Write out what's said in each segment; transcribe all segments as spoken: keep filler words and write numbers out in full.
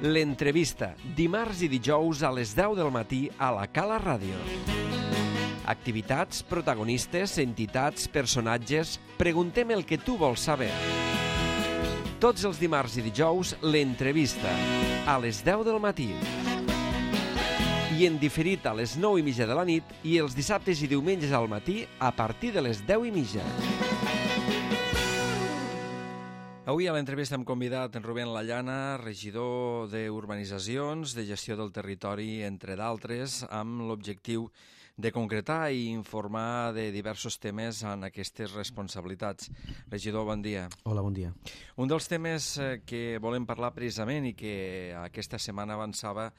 L'entrevista, dimarts i dijous a les deu del matí a la Cala Ràdio. Activitats, protagonistes, entitats, personatges... Preguntem el que tu vols saber. Tots els dimarts i dijous, l'entrevista, a les deu del matí. I en diferit a les nou i mitja de la nit i els dissabtes i diumenges al matí a partir de les deu i mitja. Avui a l'entrevista hem convidat en Rubén Lallana, regidor d'Urbanitzacions, de Gestió del Territori, entre d'altres, amb l'objectiu de concretar i informar de diversos temes en aquestes responsabilitats. Regidor, bon dia. Hola, bon dia. Un dels temes que volem parlar precisament i que aquesta setmana avançava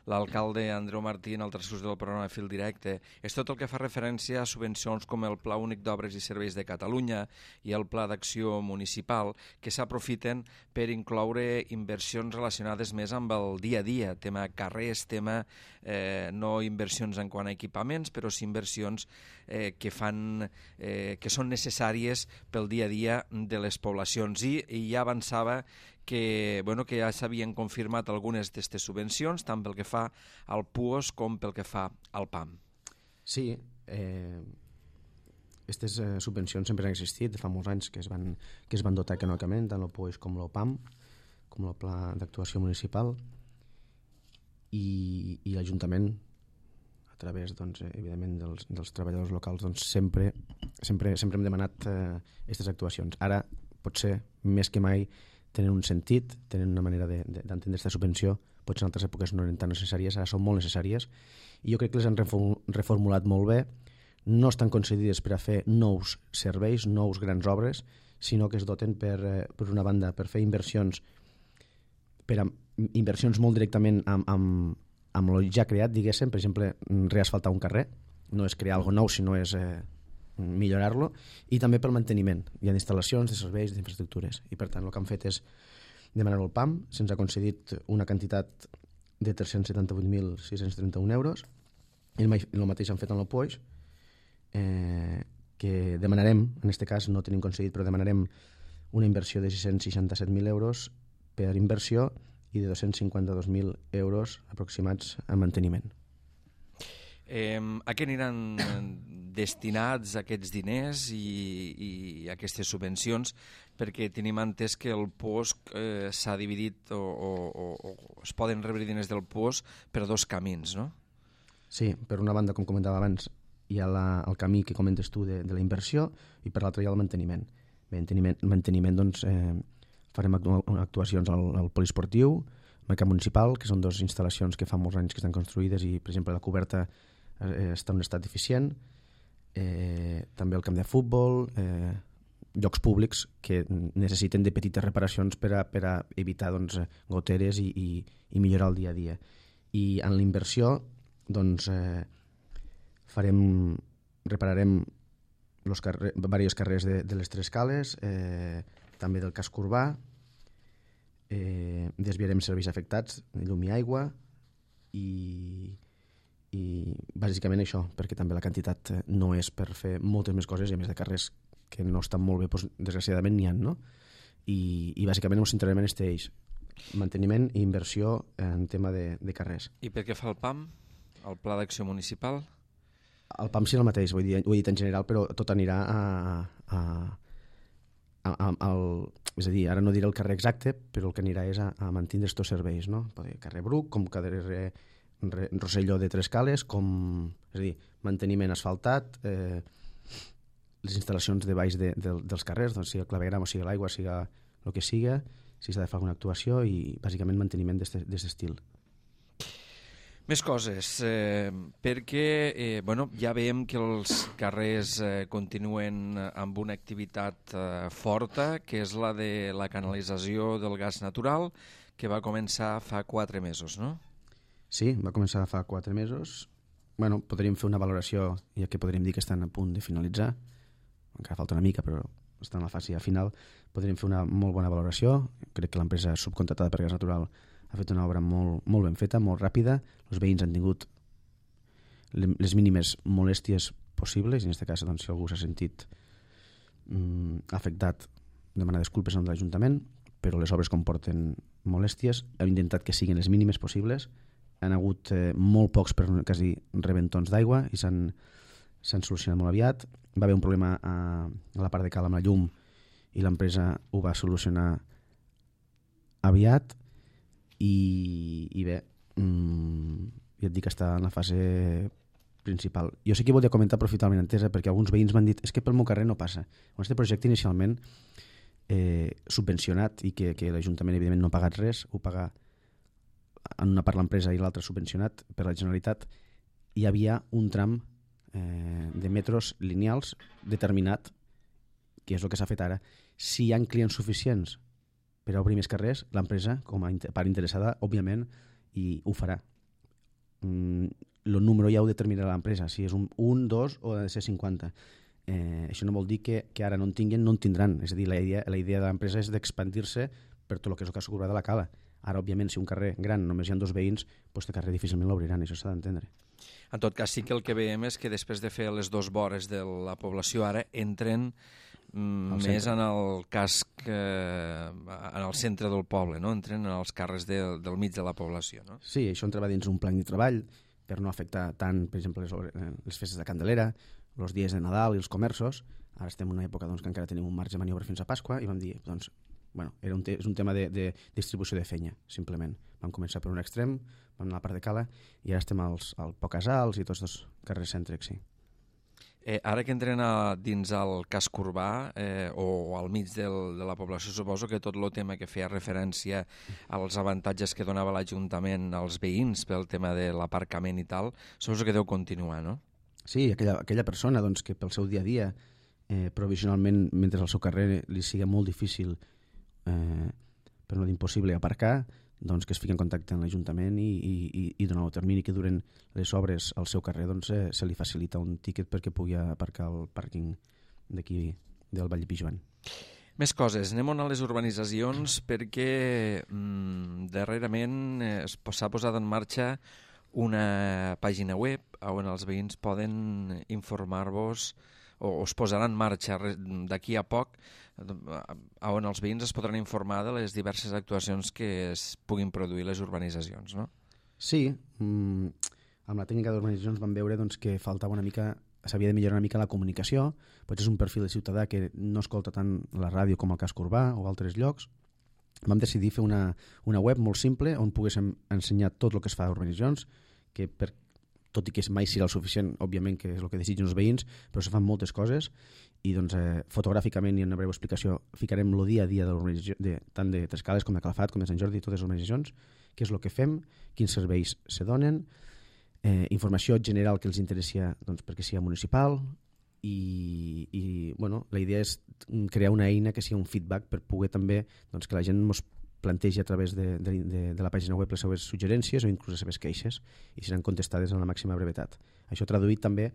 l'alcalde Andreu Martí en el transcurs del programa Fil Directe és tot el que fa referència a subvencions com el Pla Únic d'Obres i Serveis de Catalunya i el Pla d'Acció Municipal, que s'aprofiten per incloure inversions relacionades més amb el dia a dia, tema carrers, tema eh, no inversions en quant a equipaments, però sí inversions eh, que, fan, eh, que són necessàries pel dia a dia de les poblacions. I, i ja avançava que, bueno, que ja s'havien confirmat algunes d'aquestes subvencions, tant pel que fa al P U O S com pel que fa al P A M. Sí, eh, aquestes eh, subvencions sempre han existit, fa molts anys que es van, que es van dotar econòmicament, tant el P U O S com el P A M, com el Pla d'Actuació Municipal, i, i l'Ajuntament, a través, doncs, evidentment, dels, dels treballadors locals, doncs, sempre, sempre, sempre hem demanat aquestes eh, actuacions. Ara, potser, més que mai, tenen un sentit, tenen una manera d'entendre de, de, aquesta subvenció, potser en altres èpoques no eren tan necessàries, ara són molt necessàries, i jo crec que les han reformulat molt bé. No estan concedides per a fer nous serveis, nous grans obres, sinó que es doten per, per una banda, per fer inversions, per a, inversions molt directament amb, amb, amb el ja creat, diguéssim, per exemple, reasfaltar un carrer, no és crear alguna cosa nou, sinó és eh, millorar-lo, i també pel manteniment. Hi ha instal·lacions, de serveis, d'infraestructures, i per tant el que han fet és demanar-ho al P A M, se'ns ha concedit una quantitat de tres-cents setanta-vuit mil sis-cents trenta-un euros, i el mateix han fet amb el P U O S, eh, que demanarem, en aquest cas no tenim concedit, però demanarem una inversió de sis-cents seixanta-set mil euros per inversió i de dos-cents cinquanta-dos mil euros aproximats a manteniment. Eh, a què aniran destinats aquests diners i, i aquestes subvencions? Perquè tenim entès que el P O S eh, s'ha dividit o, o, o, o es poden rebre diners del P O S per dos camins, no? Sí, per una banda, com comentava abans, hi ha la, el camí que comentes tu de, de la inversió, i per l'altra hi ha el manteniment. Manteniment, manteniment doncs, eh, farem actuacions al, al poliesportiu, al mercat municipal, que són dues instal·lacions que fa molts anys que estan construïdes i, per exemple, la coberta eh, està en un estat deficient, eh, també el camp de futbol, eh, llocs públics que necessiten de petites reparacions per a, per a evitar doncs, goteres i, i, i millorar el dia a dia. I en la inversió doncs, eh, farem, repararem los carrer, diversos carrers de, de les tres cales, eh, també del casc urbà, eh, desviarem serveis afectats, llum i aigua, i, i bàsicament això, perquè també la quantitat no és per fer moltes més coses, i a més de carrers que no estan molt bé, doncs, desgraciadament n'hi ha, no? I, i bàsicament ens centrarem en aquest eix, manteniment i inversió en tema de, de carrers. I per què fa el P A M, el Pla d'Acció Municipal? El P A M sí el mateix, vull dir, ho he dit en general, però tot anirà a, a, a, a, al, és a dir, ara no diré el carrer exacte, però el que anirà és a, a mantenir aquests serveis, no? Carrer Bruc, com carrer Rosselló de Tres Cales, com, és a dir, manteniment asfaltat, eh, les instal·lacions de baix de, de, dels carrers, doncs sigui el clavegram o sigui l'aigua, sigui el que siga, si s'ha de fer alguna actuació, i bàsicament manteniment d'aquest estil. Més coses, eh, perquè eh, bueno, ja veiem que els carrers eh, continuen amb una activitat eh, forta, que és la de la canalització del gas natural, que va començar fa quatre mesos, no? Sí, va començar fa quatre mesos. Bueno, podríem fer una valoració, ja que podríem dir que estan a punt de finalitzar, encara falta una mica, però està en la fase final. Podríem fer una molt bona valoració. Crec que l'empresa subcontratada per gas natural ha fet una obra molt, molt ben feta, molt ràpida. Els veïns han tingut les mínimes molèsties possibles, i en aquest cas, doncs, si algú s'ha sentit mm, afectat, demanar disculpes en l'Ajuntament, però les obres comporten molèsties, hem intentat que siguin les mínimes possibles, han hagut eh, molt pocs per quasi rebentons d'aigua i s'han s'han solucionat molt aviat. Va haver un problema a, a la part de cal amb la llum i l'empresa ho va solucionar aviat i, i bé, mmm, ja et dic que està en la fase principal. Jo sí que volia comentar aprofitant entesa perquè alguns veïns m'han dit és que pel meu carrer no passa. Quan aquest projecte inicialment eh, subvencionat i que, que l'Ajuntament evidentment no ha pagat res, ho paga en una part l'empresa i l'altra subvencionat per la Generalitat, hi havia un tram eh, de metros lineals determinat, que és el que s'ha fet ara. Si hi ha clients suficients per a obrir més carrers, l'empresa, com a part interessada, òbviament, i ho farà. Mm, el número ja ho determinarà l'empresa, si és un, un, dos o ha de ser cinquanta. Eh, això no vol dir que, que ara no en tinguin, no en tindran. És a dir, la idea, la idea de l'empresa és d'expandir-se per tot el que és el cas de la Cala. Ara, òbviament, si un carrer gran només hi ha dos veïns, doncs el carrer difícilment l'obriran, això s'ha d'entendre. En tot cas, sí que el que veiem és que després de fer les dos vores de la població ara entren mm, més en el casc, eh, en el centre del poble, no? Entren en els carrers de, del mig de la població, no? Sí, això entra dins un plan de treball per no afectar tant, per exemple, les, les festes de Candelera, els dies de Nadal i els comerços. Ara estem en una època doncs, que encara tenim un marge de maniobra fins a Pasqua i vam dir, doncs, bueno, era un, te és un tema de, de distribució de fenya, simplement. Vam començar per un extrem, vam anar a la part de Cala i ara estem als, al Pocasals i tots els carrers cèntrics, sí. Eh, ara que entren a, dins el casc urbà eh, o al mig del, de la població, suposo que tot el tema que feia referència als avantatges que donava l'Ajuntament als veïns pel tema de l'aparcament i tal, suposo que deu continuar, no? Sí, aquella, aquella persona doncs, que pel seu dia a dia, eh, provisionalment, mentre al seu carrer li sigui molt difícil, eh, per no dir impossible, aparcar, doncs que es fiqui en contacte amb l'Ajuntament i, i, i durant el termini que duren les obres al seu carrer doncs, eh, se li facilita un tíquet perquè pugui aparcar al pàrquing d'aquí del Vall de Pijoan. Més coses, anem a les urbanitzacions perquè mm, darrerament eh, s'ha posat en marxa una pàgina web on els veïns poden informar-vos o es posarà en marxa d'aquí a poc on els veïns es podran informar de les diverses actuacions que es puguin produir les urbanitzacions, no? Sí, mmm, amb la tècnica d'urbanitzacions vam veure doncs, que faltava una mica, s'havia de millorar una mica la comunicació, potser és un perfil de ciutadà que no escolta tant la ràdio com el casc urbà o altres llocs. Vam decidir fer una, una web molt simple on poguéssim ensenyar tot el que es fa a urbanitzacions, que per, tot i que mai serà el suficient, òbviament que és el que desitgen els veïns, però se fan moltes coses i doncs, eh, fotogràficament i en una breu explicació ficarem el dia a dia de l'urbanització, de, tant de Trescales com de Calafat com de Sant Jordi, totes les urbanitzacions, què és el que fem, quins serveis se donen, eh, informació general que els interessa doncs, perquè sigui municipal i, i bueno, la idea és crear una eina que sigui un feedback per poder també doncs, que la gent ens plantegi a través de, de, de, de la pàgina web les seves suggerències o inclús les seves queixes i seran contestades en la màxima brevetat. Això traduït també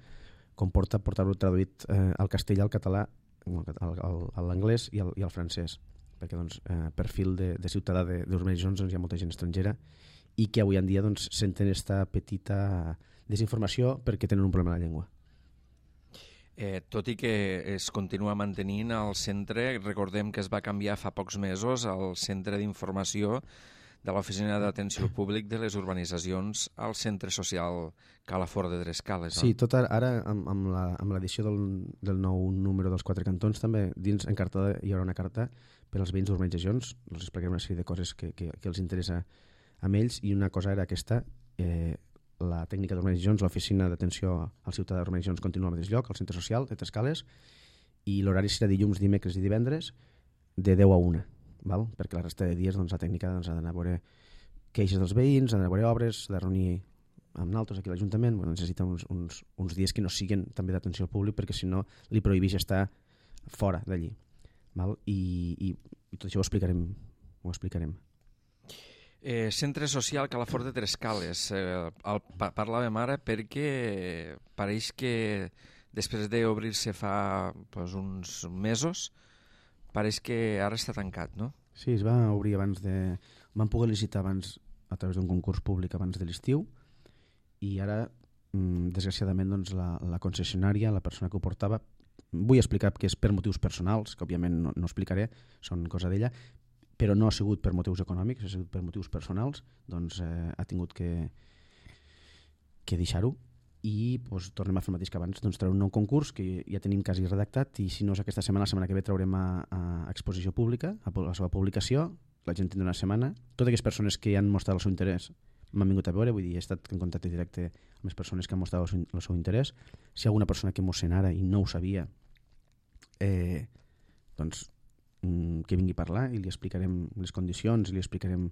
comporta portar-ho traduït eh, al castellà, al català, a l'anglès i, i al francès, perquè doncs, eh, perfil de, de ciutadà d'urbanitzacions doncs, hi ha molta gent estrangera i que avui en dia doncs, senten aquesta petita desinformació perquè tenen un problema de la llengua. Eh, tot i que es continua mantenint al centre, recordem que es va canviar fa pocs mesos al centre d'informació de l'Oficina d'Atenció Públic de les Urbanitzacions al Centre Social Calafort de Trescales. No? Sí, tot ara, amb, amb l'edició del, del nou número dels Quatre Cantons, també dins encartada hi haurà una carta per als veïns d'urbanitzacions, els explicarem una sèrie de coses que, que, que els interessa a ells, i una cosa era aquesta, eh, la tècnica d'urbanitzacions, l'oficina d'atenció al ciutadà d'urbanitzacions continua al mateix lloc, al centre social de Trescales, i l'horari serà dilluns, dimecres i divendres de deu a una, val? Perquè la resta de dies doncs, la tècnica doncs, ha d'anar a veure queixes dels veïns, ha d'anar a veure obres, ha de reunir amb naltros aquí a l'Ajuntament, bueno, necessita uns, uns, uns dies que no siguin també d'atenció al públic perquè si no li prohibeix estar fora d'allí. Val? I, i, i tot això ho explicarem, ho explicarem. Eh, Centre Social Calafort de Trescales. Eh, el, pa, parlàvem ara perquè pareix que després d'obrir-se fa pues, uns mesos, pareix que ara està tancat, no? Sí, es va obrir abans de... Van poder licitar abans a través d'un concurs públic abans de l'estiu i ara, desgraciadament, doncs, la, la concessionària, la persona que ho portava, vull explicar que és per motius personals, que òbviament no, no explicaré, són cosa d'ella, però no ha sigut per motius econòmics, ha sigut per motius personals, doncs eh, ha tingut que, que deixar-ho i doncs, tornem a fer el mateix que abans, doncs treure un nou concurs que ja tenim quasi redactat i si no és aquesta setmana, la setmana que ve traurem a, a exposició pública, a la seva publicació, la gent tindrà una setmana. Totes aquelles persones que han mostrat el seu interès m'han vingut a veure, vull dir, he estat en contacte directe amb les persones que han mostrat el seu, el seu interès. Si hi ha alguna persona que mos sent ara i no ho sabia, eh, doncs que vingui a parlar i li explicarem les condicions, li explicarem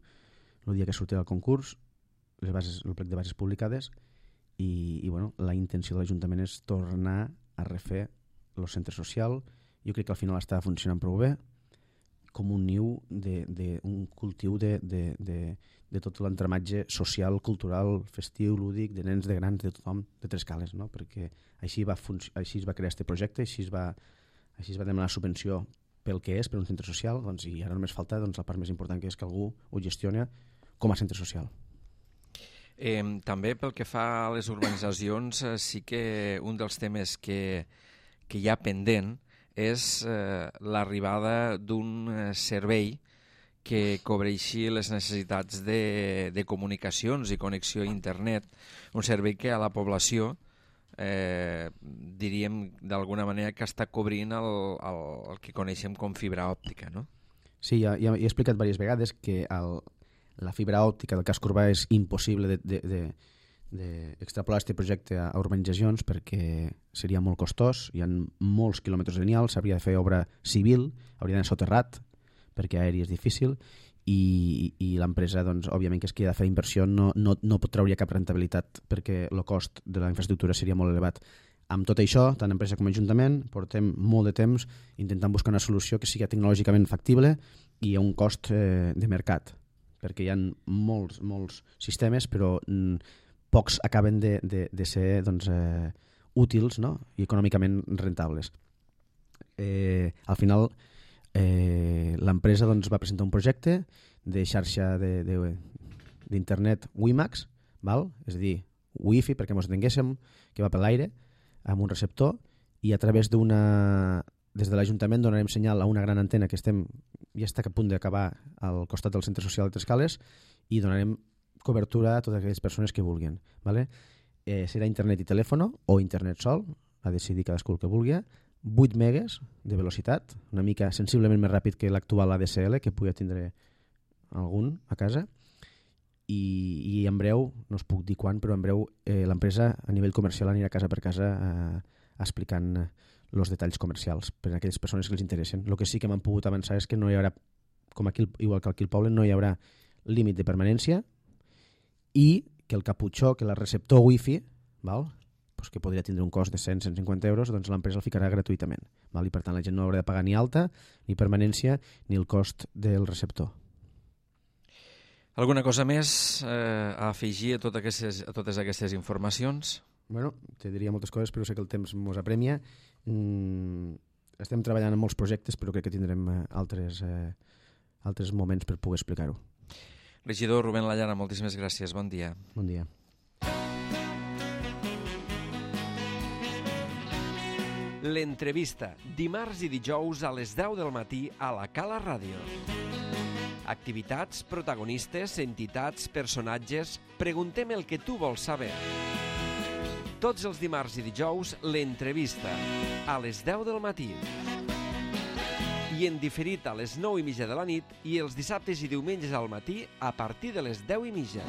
el dia que sortirà el concurs, les bases, el plec de bases publicades i, i bueno, la intenció de l'Ajuntament és tornar a refer el centre social. Jo crec que al final està funcionant prou bé com un niu, de, de, un cultiu de, de, de, de tot l'entramatge social, cultural, festiu, lúdic, de nens, de grans, de tothom, de Trescales, no? Perquè així, va així es va crear aquest projecte, així es va, així es va demanar subvenció pel que és, per un centre social, doncs, i ara només falta doncs, la part més important, que és que algú ho gestiona com a centre social. Eh, també pel que fa a les urbanitzacions, eh, sí que un dels temes que, que hi ha pendent és eh, l'arribada d'un eh, servei que cobreixi les necessitats de, de comunicacions i connexió a internet, un servei que a la població Eh, diríem d'alguna manera que està cobrint el, el, el que coneixem com fibra òptica, no? Sí, ja, ja he explicat diverses vegades que el, la fibra òptica del casc urbà és impossible de, de, de, de extrapolar aquest projecte a urbanitzacions perquè seria molt costós, hi ha molts quilòmetres lineals, s'hauria de fer obra civil, hauria d'anar soterrat perquè aeri és difícil i, i l'empresa, doncs, òbviament que és que ha de fer inversió, no, no, no pot trauria cap rentabilitat perquè el cost de la infraestructura seria molt elevat. Amb tot això, tant empresa com ajuntament, portem molt de temps intentant buscar una solució que sigui tecnològicament factible i a un cost eh, de mercat, perquè hi ha molts, molts sistemes, però mm, pocs acaben de, de, de ser doncs, eh, útils, no? I econòmicament rentables. Eh, al final, Eh, l'empresa doncs, va presentar un projecte de xarxa d'internet WiMAX, val? És a dir, Wi-Fi, perquè ens entenguéssim, que va per l'aire, amb un receptor, i a través d'una... Des de l'Ajuntament donarem senyal a una gran antena que estem ja està a punt d'acabar al costat del centre social de Trescales i donarem cobertura a totes aquelles persones que vulguin. Vale? Eh, serà internet i telèfon o internet sol, a decidir cadascú el que vulgui, vuit megues de velocitat, una mica sensiblement més ràpid que l'actual A D S L, que pugui tindre algun a casa, i, i en breu, no us puc dir quan, però en breu eh, l'empresa a nivell comercial anirà casa per casa eh, explicant els detalls comercials per a aquelles persones que els interessen. El que sí que m'han pogut avançar és que no hi haurà, com aquí, igual que aquí al poble, no hi haurà límit de permanència i que el caputxó, que el receptor wifi, val? Pues que podria tindre un cost de cent a cent cinquanta euros, doncs l'empresa el ficarà gratuïtament. Val? I per tant la gent no haurà de pagar ni alta, ni permanència, ni el cost del receptor. Alguna cosa més eh, a afegir a, tot aquestes, a totes aquestes informacions? Bueno, te diria moltes coses, però sé que el temps ens apremia. Mm, estem treballant en molts projectes, però crec que tindrem eh, altres, eh, altres moments per poder explicar-ho. Regidor Rubén Lallana, moltíssimes gràcies. Bon dia. Bon dia. L'entrevista, dimarts i dijous a les deu del matí a la Cala Ràdio. Activitats, protagonistes, entitats, personatges... Preguntem el que tu vols saber. Tots els dimarts i dijous, l'entrevista, a les deu del matí. I en diferit a les nou i mitja de la nit i els dissabtes i diumenges al matí a partir de les deu i mitja.